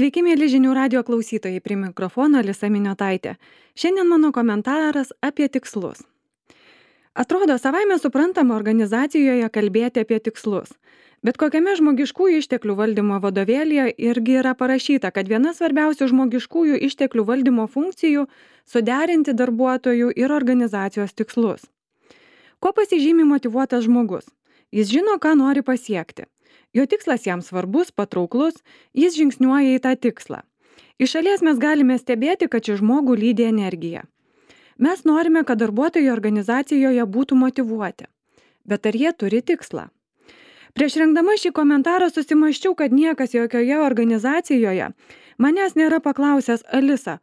Sveiki, mėly žinių radio klausytojai, prie mikrofono Alisa Miniotaitė. Šiandien mano komentaras apie tikslus. Atrodo, savaime suprantama organizacijoje kalbėti apie tikslus. Bet kokiame žmogiškųjų išteklių valdymo vadovėlyje irgi yra parašyta, kad viena svarbiausių žmogiškųjų išteklių valdymo funkcijų - suderinti darbuotojų ir organizacijos tikslus. Kuo pasižymi motyvuotas žmogus? Jis žino, ką nori pasiekti. Jo tikslas jam svarbus, patrauklus, jis žingsniuoja į tą tikslą. Iš šalies mes galime stebėti, kad šį žmogų lydi energija. Mes norime, kad darbuotojai organizacijoje būtų motyvuoti. Bet ar jie turi tikslą? Prieš rengdama šį komentarą susimąsčiau, kad niekas jokioje organizacijoje manęs nėra paklausęs: Alisa,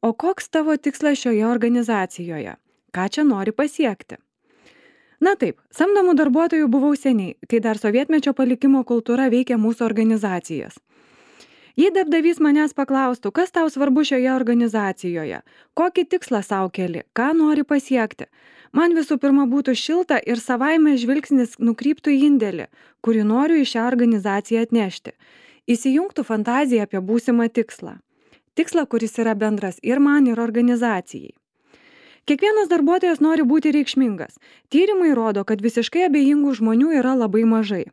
o koks tavo tikslas šioje organizacijoje? Ką čia nori pasiekti? Na taip, samdomų darbuotojų buvau seniai, kai dar sovietmečio palikimo kultūra veikia mūsų organizacijas. Jei darbdavys manęs paklaustų, kas tau svarbu šioje organizacijoje, kokį tikslą sau keli, ką nori pasiekti, man visų pirma būtų šilta ir savaime žvilgsnis nukryptų į indėlį, kurį noriu į šią organizaciją atnešti. Įsijungtų fantazija apie būsimą tikslą. Tikslą, kuris yra bendras ir man, ir organizacijai. Kiekvienas darbuotojas nori būti reikšmingas. Tyrimai rodo, kad visiškai abejingų žmonių yra labai mažai.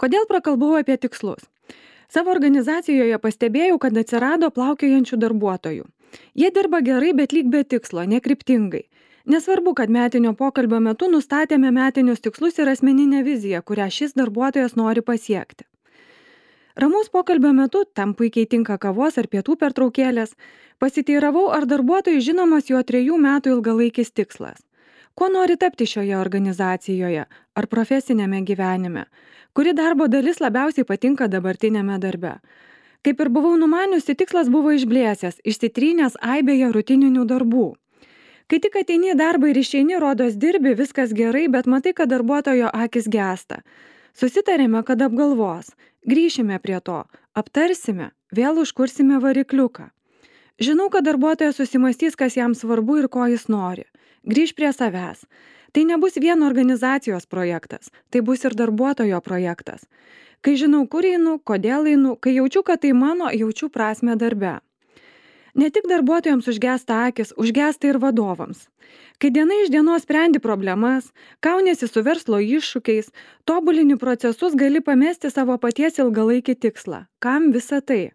Kodėl prakalbau apie tikslus? Savo organizacijoje pastebėjau, kad atsirado plaukiojančių darbuotojų. Jie dirba gerai, bet lyg be tikslo, nekryptingai. Nesvarbu, kad metinio pokalbio metu nustatėme metinius tikslus ir asmeninę viziją, kurią šis darbuotojas nori pasiekti. Ramaus pokalbio metu, tam puikiai tinka kavos ar pietų pertraukėlės, pasiteiravau, ar darbuotojui žinomas jo 3 metų ilgalaikis tikslas. Kuo nori tapti šioje organizacijoje ar profesinėme gyvenime, kuri darbo dalis labiausiai patinka dabartinėme darbe. Kaip ir buvau numaniusi, tikslas buvo išblėsęs, išsitrynęs aibėje rutininių darbų. Kai tik ateini į darbą ir išeini, rodos dirbi, viskas gerai, bet matai, kad darbuotojo akis gęsta. Susitarėme, kad apgalvos. Grįšime prie to, aptarsime, vėl užkursime varikliuką. Žinau, kad darbuotojas susimastys, kas jam svarbu ir ko jis nori. Grįš prie savęs. Tai nebus vien organizacijos projektas, tai bus ir darbuotojo projektas. Kai žinau, kur einu, kodėl einu, kai jaučiu, kad tai mano, jaučiu prasmę darbe. Ne tik darbuotojams užgęsta akis, užgęsta ir vadovams. Kai diena iš dienos sprendi problemas, kauniesi su verslo iššūkiais, tobulini procesus, gali pamesti savo paties ilgalaikį tikslą. Kam visa tai?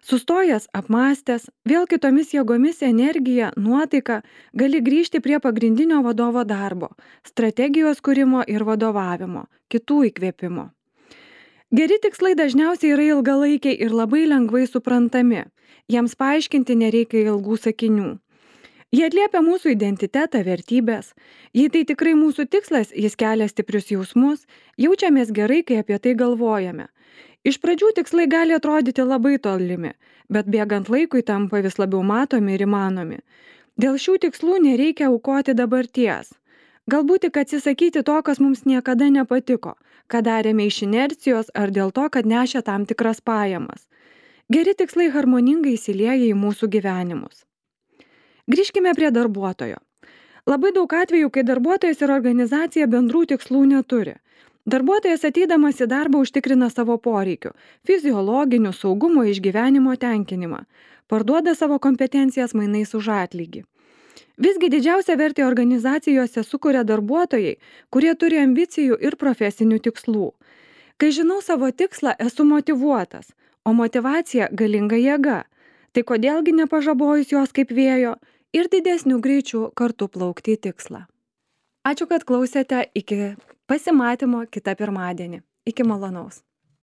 Sustojęs, apmąstęs, vėl kitomis jėgomis, energija, nuotaika, gali grįžti prie pagrindinio vadovo darbo, strategijos kūrimo ir vadovavimo, kitų įkvėpimo. Geri tikslai dažniausiai yra ilgalaikiai ir labai lengvai suprantami. Jiems paaiškinti nereikia ilgų sakinių. Jie atliepia mūsų identitetą, vertybės. Jei tai tikrai mūsų tikslas, jis kelia stiprius jausmus, jaučiamės gerai, kai apie tai galvojame. Iš pradžių tikslai gali atrodyti labai tolimi, bet bėgant laikui tampa vis labiau matomi ir įmanomi. Dėl šių tikslų nereikia aukoti dabarties. Galbūt tik atsisakyti to, kas mums niekada nepatiko, ką darėme iš inercijos ar dėl to, kad nešė tam tikras pajamas. Geri tikslai harmoningai įsilieja į mūsų gyvenimus. Grįžkime prie darbuotojo. Labai daug atvejų, kai darbuotojas ir organizacija bendrų tikslų neturi. Darbuotojas ateidamas į darbą užtikrina savo poreikių, fiziologinių, saugumo, išgyvenimo tenkinimą, parduoda savo kompetencijas mainais už atlygį. Visgi didžiausią vertę organizacijose sukuria darbuotojai, kurie turi ambicijų ir profesinių tikslų. Kai žinau savo tikslą, esu motyvuotas, o motyvacija galinga jėga. Tai kodėlgi nepažabojus jos kaip vėjo ir didesnių greičių kartu plaukti į tikslą. Ačiū, kad klausėte, iki pasimatymo kitą pirmadienį. Iki malonaus.